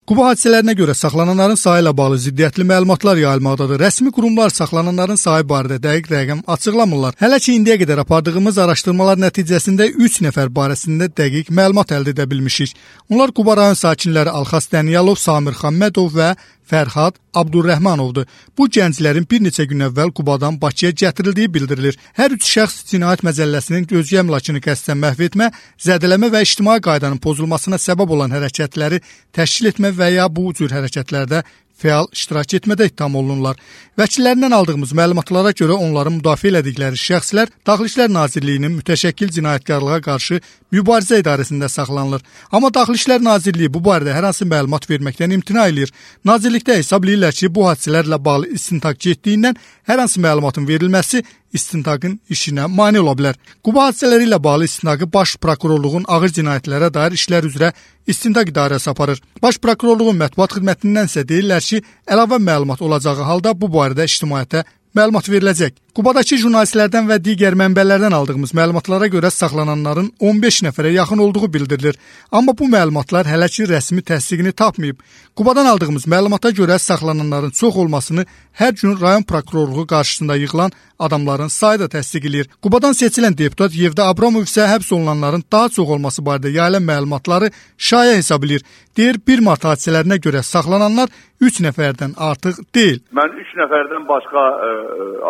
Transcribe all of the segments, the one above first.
Quba hadisələrinə görə saxlananların sayı ilə bağlı ziddiyyətli məlumatlar yayılmaqdadır. Rəsmi qurumlar saxlananların sayı barədə dəqiq rəqəm açıqlamırlar. Hələ ki indiyə qədər apardığımız araşdırmalar nəticəsində 3 nəfər barəsində dəqiq məlumat əldə edə bilmişik. Onlar Quba rayon sakinləri Alxas Dəniyalov, Samir Xammədov və Fərhad Abdurrəhmanovdur. Bu gənclərin bir neçə gün əvvəl Qubadan Bakıya gətirildiyi bildirilir. Hər üç şəxs cinayət məcəlləsinin özgə əmlakını qəsdən məhv etmə, zədələmə və ictimai qaydanın pozulmasına səbəb olan hərəkətləri təşkil etmə və ya bu cür hərəkətlərdə fəal iştirak etmədə ittiham olunurlar. Vəkillərindən aldığımız məlumatlara görə onların müdafiə elədikləri şəxslər Daxili İşlər Nazirliyinin mütəşəkkil cinayətkarlığa qarşı mübarizə idarəsində saxlanılır. Amma Daxili İşlər Nazirliyi bu barədə hər hansı məlumat verməkdən imtina edir. Nazirlikdə hesab edirlər ki, bu hadisələrlə bağlı istintaq getdiyindən hər hansı məlumatın verilməsi istintaqın işinə mane ola bilər. Quba hadisələri ilə bağlı istintaqı Baş Prokurorluğun ağır cinayətlərə dair işlər üzrə istintaq idarəsi aparır. Baş Prokurorluğun mətbuat xidmətindən isə deyirlər ki, əlavə məlumat olacağı halda bu barədə ictimaiyyətə məlumat veriləcək. Qubadakı jurnalistlərdən və digər mənbələrdən aldığımız məlumatlara görə saxlananların 15 nəfərə yaxın olduğu bildirilir. Amma bu məlumatlar hələ ki rəsmi təsdiqini tapmayıb. Qubadan aldığımız məlumata görə saxlananların çox olmasını hər gün rayon prokurorluğu qarşısında yığılan adamların sayı da təsdiq edir. Qubadan seçilən deputat Yevda Abramov isə həbs olunanların daha çox olması barədə yayılan məlumatları şaya hesab edir. Deyir, 1 mart hadisələrinə görə saxlananlar 3 nəfərdən artıq deyil. Mən 3 nəfərdən başqa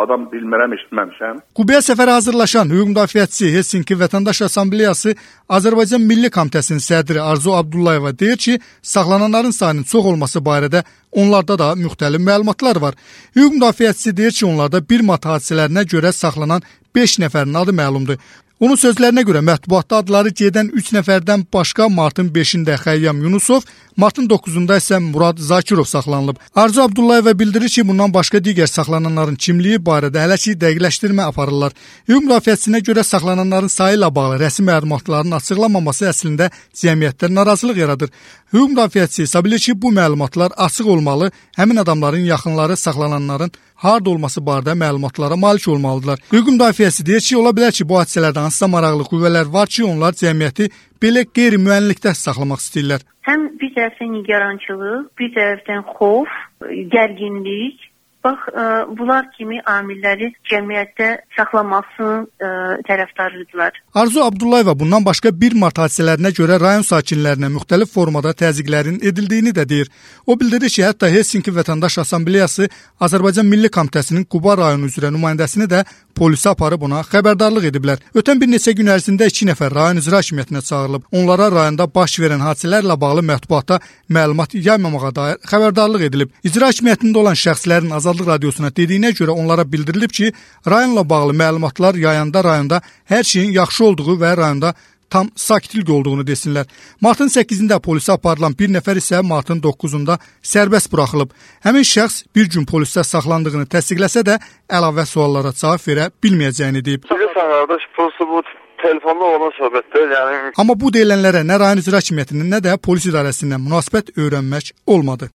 adam bilmirəm, eşitməmişəm. Qubaya səfərə hazırlaşan hüquq müdafiəçisi Helsinki Vətəndaş Assambleyası Azərbaycan Milli Komitəsinin sədri Arzu Abdullayeva deyir ki, saxlananların sayının çox olması barədə onlarda da müxtəlif məlumatlar var. Hüquq müdafiəçisi deyir ki, onlarda 1 mart hadisələrinə görə saxlanan 5 nəfərin adı məlumdur. Onun sözlərinə görə mətbuatda adları gedən 3 nəfərdən başqa martın 5-də Xəyyam Yunusov, martın 9-da isə Murad Zakirov saxlanılıb. Arzu Abdullayeva bildirir ki, bundan başqa digər saxlananların kimliyi barədə hələ ki dəqiqləşdirmə aparırlar. Hüquq müdafiəçisinə görə saxlananların sayı ilə bağlı rəsmi məlumatların açıqlanmaması əslində cəmiyyətdə narazılıq yaradır. Hüquq müdafiəçisi hesab edir ki, bu məlumatlar açıq olmalı, həmin adamların yaxınları saxlananların harda olması barədə məlumatlara malik olmalıdırlar. Hüquq müdafiəçisi deyir ki, ola bilər ki, bu hadisələrdə hansısa maraqlı qüvvələr var ki, onlar cəmiyyəti belə qeyri-müəyyənlikdə saxlamaq istəyirlər. Həm bir tərəfdən nigarançılıq, bir tərəfdən xof, gərginlik. Bax, bunlar kimi amilləri cəmiyyətdə saxlamasının tərəfdarıdırlar. Arzu Abdullayeva bundan başqa 1 mart hadisələrinə görə rayon sakinlərinə müxtəlif formada təzyiqlərin edildiyini də deyir. O bildirir ki, hətta Helsinki Vətəndaş Assambleyası Azərbaycan Milli Komitəsinin Quba rayonu üzrə nümayəndəsini də polisə aparıb ona xəbərdarlıq ediblər. Ötən bir neçə gün ərzində 2 nəfər rayon icra hakimiyyətinə çağırılıb. Onlara rayonda baş verən hadisələrlə bağlı mətbuata məlumat yaymamağa dair xəbərdarlıq edilib. İcra hakimiyyətində olan şəxslərin Azadlıq Radiosuna dediyinə görə onlara bildirilib ki, rayonla bağlı məlumatlar yayanda rayonda hər şeyin yaxşı olduğu və rayonda tam sakitlik olduğunu desinlər. Martın 8-də polisə aparılan bir nəfər isə martın 9-da sərbəst buraxılıb. Həmin şəxs bir gün polisdə saxlandığını təsdiqləsə də əlavə suallara cavab verə bilməyəcəyini deyib. Bilirsən qardaş, bu telefonda olan söhbətdir. Amma bu deyilənlərə nə rayon icra hakimiyyətinin, nə də polis idarəsindən münasibət öyrənmək olmadı.